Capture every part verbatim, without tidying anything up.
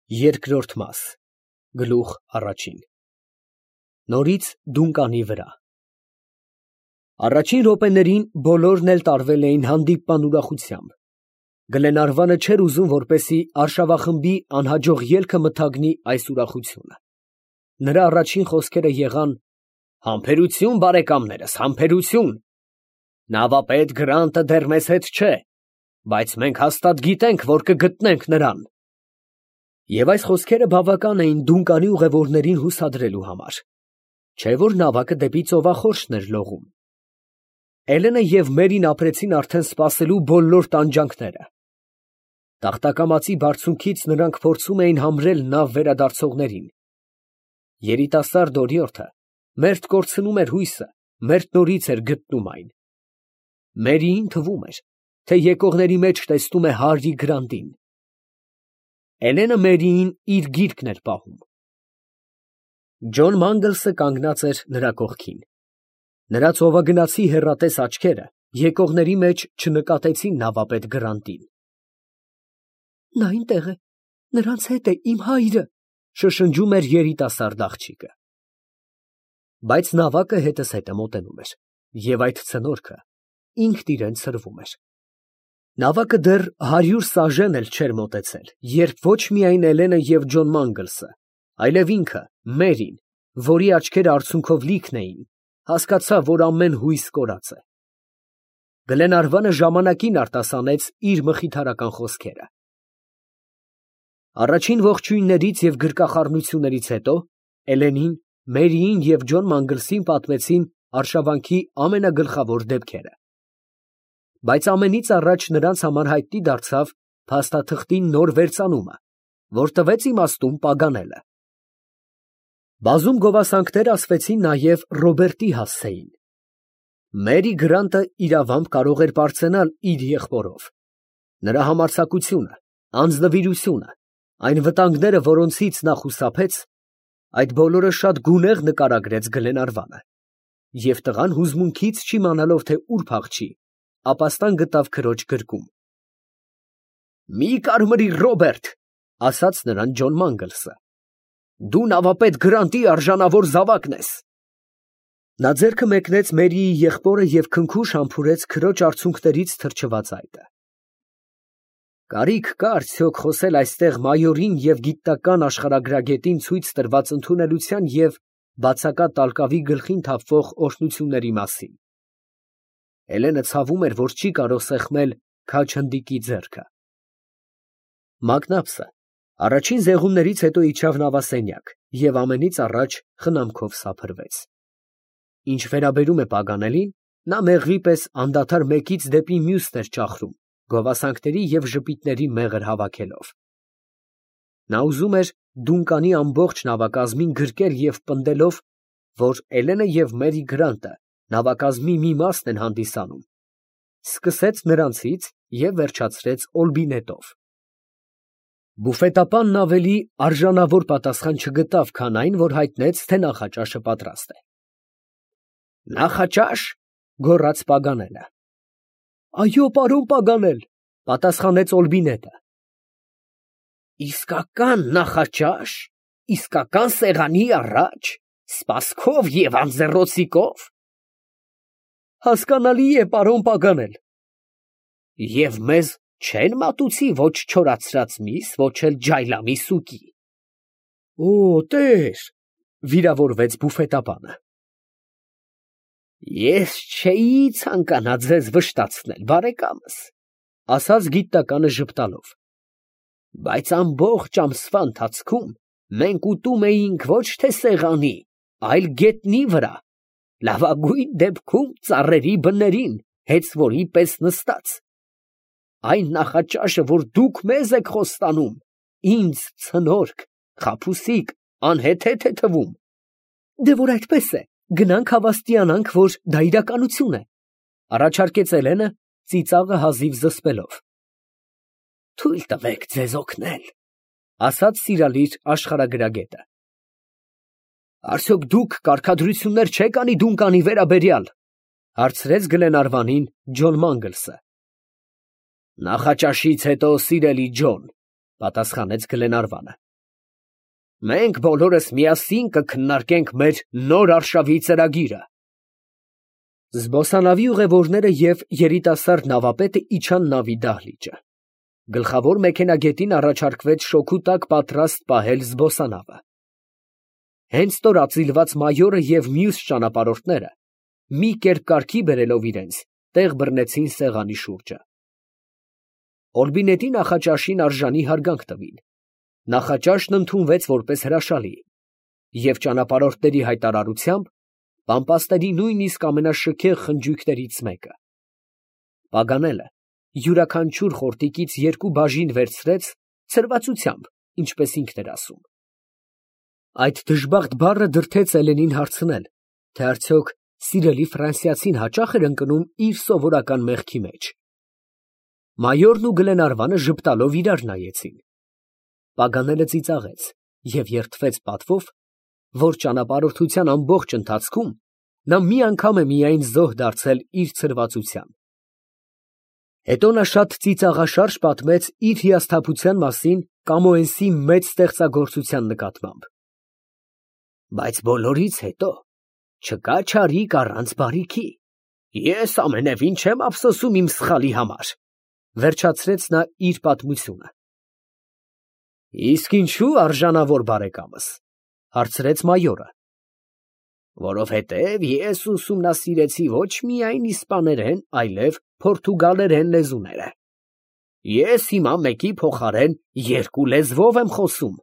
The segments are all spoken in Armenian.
Երկրորդ մաս, գլուխ առաջին Նորից դունկանի վրա Առաջին րոպեներին բոլորն էլ տարվել էին հանդիպման ուրախությամբ. Գլենարվանը չէր ուզում, որպեսզի արշավախմբի անհաջող ելքը մթագնի այս ուրախությունը. նրա առաջին խոսքերը եղան. «Համբերություն, բարեկամներս, համբերություն. նավապետ Գրանտը դեռ մեզ հետ չէ, բայց մենք հաստատ գիտենք, որ կգտնենք նրան»։ Եվ այս խոսքերը բավական էին դունկանի ուղևորներին հուսադրելու համար, չէ՞ որ նավակը դեպի ծովախորշն էր լողում։ Էլենը և Մերին ապրեցին արդեն սպասելու բոլոր տանջանքները։ Տախտակամածի բարձունքից նրանք փորձում էին համրել նավ վերադարձողներին։ Երիտասարդ օրիորդը մերթ կորցնում էր հույսը, մերթ նորից էր գտնում այն։ Մերիին թվում էր, թե եկողների մեջ տեսնում է Հարի Գրանտին։ Էլենը Մերիին իր գիրկն էր պահում։ Ջոն Մանգլսը կանգնած էր նրա կողքին։ Նրա ծովագնացի հեռատես աչքերը եկողների մեջ չնկատեցին նավապետ Գրանտին։ «Նա այնտեղ է, նրանց հետ է իմ հայրը», շշնջում էր երիտասարդ աղջիկը։ Բայց նավակը հետզհետե մոտենում էր, և այդ ցնորքը ինքն իրան ցրվում էր։ Նավակը դեռ հարյուր սաժեն էլ չէր մոտեցել, երբ ոչ միայն Էլենը և Ջոն Մանգլսը, այլև ինքը, Մերին, որի աչքերը արցունքով լիքն էին, հասկացավ, որ ամեն հույս կորած է։ Գլենարվանը ժամանակին արտասանեց իր մխիթարական խոսքերը։ Առաջին ողջույններից և գրկախառնություններից հետո Էլենին, Մերիին և Ջոն Մանգլսին պատմեցին արշավանքի ամենագլխավոր դեպքերը։ Բայց ամենից առաջ նրանց համար հայտնի դարձավ փաստաթղթի նոր վերծանումը, որ տվեց իմաստուն Պագանելը։ Բազում գովասանքներ ասվեցին նաև Ռոբերտի հասցեին։ Մերի Գրանտը իրավամբ կարող էր պարծենալ իր եղբորով։ Նրա համարձակությունը, անձնվիրությունը, այն վտանգները, որոնցից նա խուսափեց, այդ բոլորը շատ գունեղ նկարագրեց Գլենարվանը, և տղան հուզմունքից չիմանալով, թե ուր փախչի, ապաստան գտավ քրոջ գրկում։ «Մի կարմրիր, Ռոբերտ», ասաց նրան Ջոն Մանգլսը, «դու նավապետ Գրանտի արժանավոր զավակն ես»։ Նա ձեռքը մեկնեց Մերիի եղբորը և քնքուշ համբուրեց քրոջ արցունքներից թրջված այտը։ Կարիք կա՞ արդյոք խոսել այստեղ մայորին և գիտնական աշխարհագրագետին ցույց տրված ընդունելության և բացակա տալկավի գլխին թափվող օրհնությունների մասին։ Էլենը ցավում էր, որ չի կարող սեղմել քաջ հնդիկի ձեռքը։ Մակնաբսը առաջին զեղումներից հետո իջավ նավասենյակ և ամենից առաջ խնամքով սափրվեց։ Ինչ վերաբերում է Պագանելին, նա մեղվի պես անդադար մեկից դեպի մյուսն էր ճախրում, գովասանքների և ժպիտների մեղր հավաքելով։ Նա ուզում էր դունկանի ամբողջ նավակազմին գրկել և պնդելով, որ Էլենը և Մերի Գրանտը նավակազմի մի մասն են հանդիսանում, սկսեց նրանցից և վերջացրեց Օլբինետով։ Բուֆետապանն ավելի արժանավոր պատասխան չգտավ, քան այն, որ հայտնեց, թե նախաճաշը պատրաստ է։ «Նախաճա՞շ», գոռաց Պագանելը։ «Այո, պարոն Պագանել», պատասխանեց Օլբինետը։ «Իսկական նախաճա՞շ, իսկական սեղանի առաջ, սպասքով և անձեռոցիկով»։ «Հասկանալի է, պարոն Պագանել»։ «Եվ մեզ չեն մատուցի ոչ չորացրած միս, ոչ էլ ջայլամի սուկի»։ «Օ, տեր», վիրավորվեց բուֆետապանը։ «Ես չէի ցանկանա ձեզ վշտացնել, բարեկամս», ասաց գիտնականը ժպտալով, «բայց ամբողջ ամսվա ընթացքում մենք ուտում էինք ոչ թե սեղանի, այլ գետնի վրա, լավագույն դեպքում ծառերի բներին, հեծվորի պես նստած։ Այն նախաճաշը, որ դուք մեզ եք խոստանում, ինձ ցնորք, խաբուսիկ, անհեթեթ է թվում»։ «Դե որ այդպես է, գնանք հավաստիանանք, որ դա իրականություն է», առաջարկեց Էլենը, ծիծաղը հազիվ զսպելով։ «Թույլ տվեք ձեզ օգնել», ասաց սիրալիր աշխարհագրագետը։ «Արդյոք դուք կարգադրություններ չեք անի դունկանի վերաբերյալ», հարցրեց Գլենարվանին Ջոն Մանգլսը։ «Նախաճաշից հետո, սիրելի Ջոն», պատասխանեց Գլենարվանը, Մենք բոլորս միասին կքննարկենք մեր նոր արշավի ծրագիրը։ Զբոսանավի ուղևորները և երիտասարդ նավապետը իջան նավի դահլիճը։ Գլխավոր մեքենագետին առաջարկվեց շոքու տակ պատրաստ պահել զբոսանավը։ Հենց ստորացիլված մայորը և մյուս ճանապարհորդները, մի կերպ կարգի բերելով իրենց, տեղ բռնեցին սեղանի շուրջը։ Օրբինետի նախաճաշին արժանի հարգանք տվին։ Նախաճաշն ընդունվեց որպես հրաշալի, և ճանապարհորդների հայտարարությամբ Պամպասների նույնիսկ ամենաշքեղ խնջույքներից մեկը։ Պագանելը յուրաքանչյուր խորտիկից երկու բաժին վերցրեց ցրվածությամբ, ինչպես ինքն էր ասում։ Այդ դժբախտ բառը դրդեց Էլենին հարցնել, թե արդյոք սիրելի ֆրանսիացին հաճախ էր ընկնում իր սովորական մեղքի մեջ։ Մայորն ու Գլենարվանը ժպտալով իրար նայեցին։ Պագանելը ծիծաղեց և երդվեց պատվով, որ ճանապարհորդության ամբողջ ընթացքում նա մի անգամ է միայն զոհ դարձել իր ցրվածության։ Հետո նա շատ ծիծաղաշարժ պատմեց իր հիասթափության մասին Կամոենսի մեծ ստեղծագործության նկատմամբ։ Բայց բոլորից հետո չկա չարիք առանց բարիքի։ Ես ամենևին չեմ ափսոսում իմ սխալի համար, վերջացրեց նա իր պատմությունը։ Իսկ ինչու արժանավոր բարեկամս, հարցրեց մայորը։ Որովհետև ես ուսումնասիրեցի ոչ միայն իսպաներեն, այլև պորտուգալերեն լեզուները։ Ես հիմա մեկի փոխարեն երկու լեզվով եմ խոսում։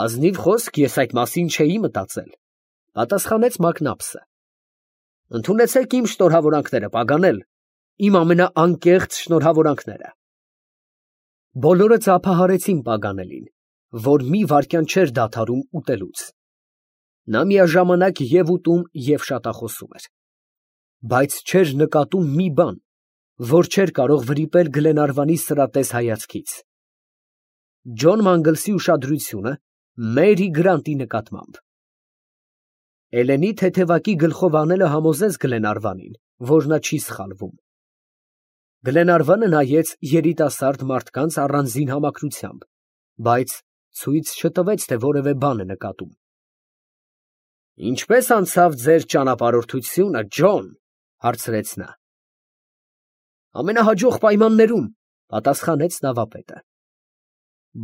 Ազնիվ խոսք, ես այդ մասին չէի մտածել, պատասխանեց Մակնապսը։ Ընդունեցեք իմ շնորհավորանքները, Պագանել, իմ ամենաանկեղծ շնորհավորանքները։ Բոլորը ծափահարեցին Պագանելին, որ մի վայրկյան չէր դադարում ուտելուց։ Նա միաժամանակ և ուտում և շատախոսում էր, բայց չէր նկատում մի բան, որ չէր կարող վրիպել Գլենարվանի սրատես հայացքից։ Ջոն Մանգլսի ուշադրությունը Մերի Գրանտի նկատմամբ։ Էլենի թեթևակի գլխով անելը համոզեց Գլենարվանին, որ նա չի սխալվում։ Գլենարվանը նայեց երիտասարդ մարդկանց առանձին համակրությամբ, բայց ցույց չտվեց, թե որևէ բան է նկատում։ Ինչպե՞ս անցավ ձեր ճանապարհորդությունը, Ջոն, հարցրեց նա։ Ամենահաջող պայմաններում, պատասխանեց նավապետը։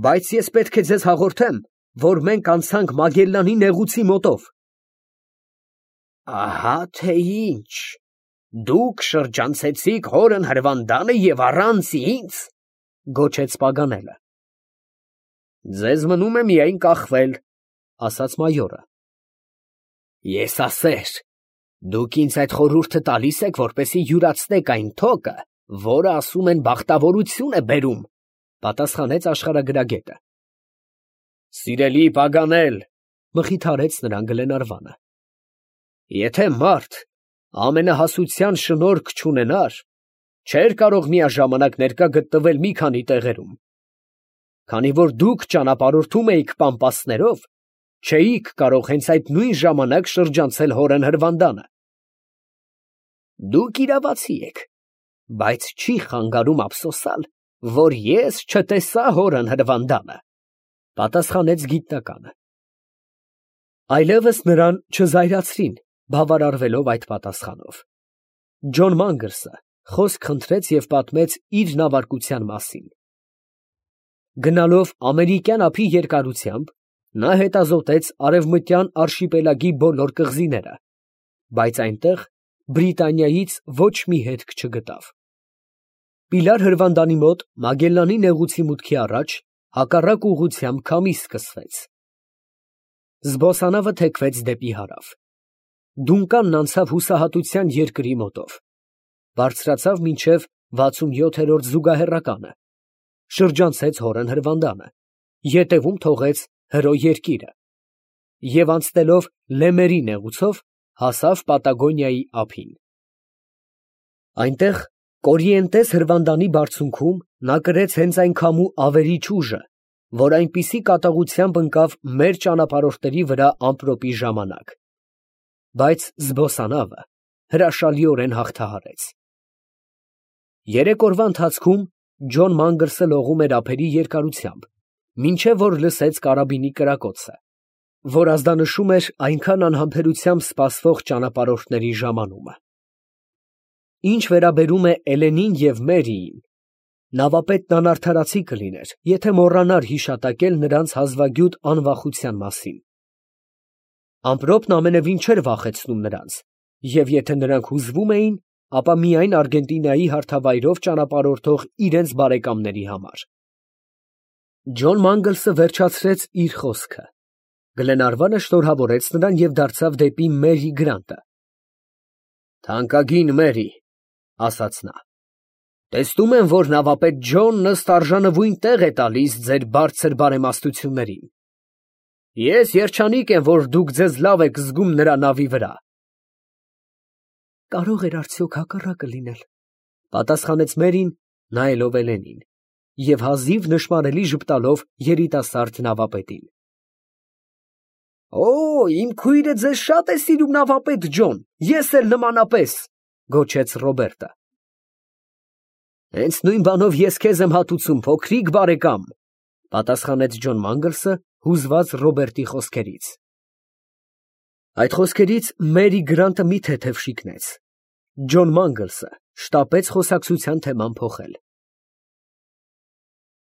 Բայց ես պետք է ձեզ հաղորդեմ, որ մենք անցանք Մագելլանի նեղուցի մոտով։ Ահա թե ինչ, դուք շրջանցեցիք հորն հրվանդանը և առանց ինձ, գոչեց Պագանելը։ Ձեզ մնում է միայն կախվել, ասաց մայորը։ Ես ասեր, դուք ինձ այդ խորհուրդը տալիս եք, որպեսզի յուրացնեք այն թոկը, որը ասում են բախտավորություն է բերում, պատասխանեց աշխարհագրագետը։ Սիրելի Պագանել, մխիթարեց նրան Գլենարվանը։ Եթե մարդ ամենահասության շնորհք չունենար, չէր կարող միաժամանակ ներկա գտնվել մի քանի տեղերում։ Քանի որ դուք ճանապարհորդում էիք Պամպասներով, չէիք կարող հենց այդ նույն ժամանակ շրջանցել հորն հրվանդանը։ Դուք իրավացի եք, բայց չի խանգարում ափսոսալ, որ ես չտեսա հորն հրվանդանը, պատասխանեց գիտնականը։ Այլևս նրան չզայրացրին, բավարարվելով այդ պատասխանով։ Ջոն Մանգլսը խոսք խնդրեց և պատմեց իր նավարկության մասին։ Գնալով ամերիկյան ափի երկարությամբ, նա հետազոտեց արևմտյան արշիպելագի բոլոր կղզիները, բայց այնտեղ Բրիտանիայից ոչ մի հետք չգտավ։ Պիլար հրվանդանի մոտ Մագելլանի նեղուցի մուտքի առաջ հակառակ ուղղությամբ քամի սկսվեց։ Զբոսանավը թեքվեց դեպի հարավ։ Դունկանն անցավ հուսահատության երկրի մոտով, բարձրացավ մինչև վաթսունյոթերորդ զուգահեռականը, շրջանցեց հորն հրվանդանը, ետևում թողեց հրո երկիրը և անցնելով Լեմերի նեղուցով հասավ Պատագոնիայի ափին։ Այնտեղ Կորիենտես հրվանդանի բարձունքում նա կրեց հենց այն քամու ավերիչ ուժը, որ այնպիսի կատաղությամբ ընկավ մեր ճանապարհորդների վրա ամպրոպի ժամանակ, բայց զբոսանավը հրաշալիորեն հաղթահարեց։ Երեք օրվա ընթացքում Ջոն Մանգլսը լողում էր ափերի երկարությամբ, մինչև որ լսեց կարաբինի կրակոցը, որ ազդանշում էր այնքան անհամբերությամբ սպասվող ճանապարհորդների ժամանումը։ Ինչ վերաբերում է Էլենին և Մերիին, նավապետն անարդարացի կլիներ, եթե մոռանար հիշատակել նրանց հազվագյուտ անվախության մասին։ Ամպրոպն ամենևին չէր վախեցնում նրանց, և եթե նրանք հուզվում էին, ապա միայն Արգենտինայի հարթավայրով ճանապարհորդող իրենց բարեկամների համար։ Ջոն Մանգլսը վերջացրեց իր խոսքը։ Գլենարվանը շնորհավորեց նրան և դարձավ դեպի Մերի Գրանտը։ «Թանկագին Մերի, ֊ ասաց նա, ֊ տեսնում եմ, որ նավապետ Ջոնն ըստ արժանվույն տեղ է տալիս ձեր բարձր բարեմաստություններին։ Ես երջանիկ եմ, որ դուք ձեզ լավ եք զգում նրա նավի վրա։ ֊ Կարող էր արդյոք հակառակը լինել, ֊ պատասխանեց Մերին, նայելով Էլենին և հազիվ նշմարելի ժպտալով երիտասարդ նավապետին։ ֊ Օ, իմ քույրը ձեզ շատ է սիրում, նավապետ Ջոն, ես էլ նմանապես, ֊ գոչեց Ռոբերտը։ ֊ Հենց նույն բանով ես քեզ եմ հատուցում, փոքրիկ բարեկամ, ֊ պատասխանեց Ջոն Մանգլսը, հուզված Ռոբերտի խոսքերից։ Այդ խոսքերից Մերի Գրանտը մի թեթև շիկնեց։ Ջոն Մանգլսը շտապեց խոսակցության թեման փոխել։